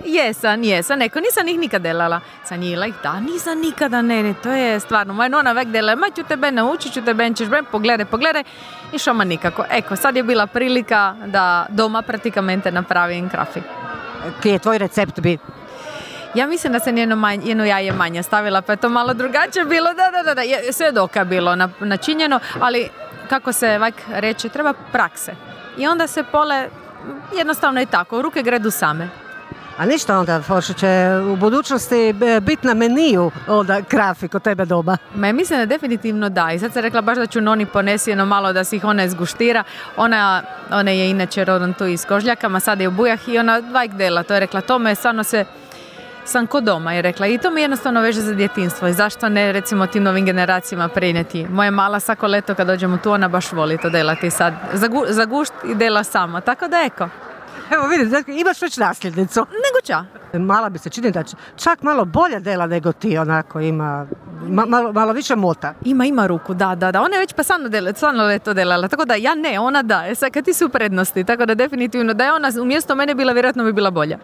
Jesam, neko, nisam ih nikad delala. Sanjila ih, da, nisam nikada, ne, to je stvarno, moja nona vek dela, ma ću tebe naučit, ću tebe, ćeš bre, pogledaj, i šoma nikako. Eko, sad je bila prilika da doma pratikamente napravim krafi. Kje je tvoj recept bi? Ja mislim da sam jedno jaje manje stavila, pa je to malo drugačije bilo, da, sve dok je bilo načinjeno, ali kako se reče, treba prakse. I onda se pole, jednostavno je tako, ruke gredu same. A ništa onda, Forša, će u budućnosti biti na meniju onda krafi kod tebe doma? Ma mislim da definitivno da. I sad sam rekla baš da ću noni ponesi jedno malo da si ih ona izguštira. Ona je inače rodom tu iz Kožljakama, sad je u Bujah i ona dvajk dela. To je rekla, to me stvarno sam kod doma, je rekla. I to mi jednostavno veže za djetinstvo. I zašto ne, recimo, tim novim generacijama prenijeti. Moja mala svako leto kad dođemo tu, ona baš voli to delati sad. Za gušt i dela sama. Tako da eko. Evo vidi, imaš već nasljednicu. Nego ča? Mala bi se čini da čak malo bolje dela nego ti, onako ima malo više mota. Ima ruku, da. Ona je već pa stvarno leto delala, tako da ja ne, ona da. Sad kad ti su u prednosti, tako da definitivno da je ona umjesto mene bila, vjerojatno bi bila bolja.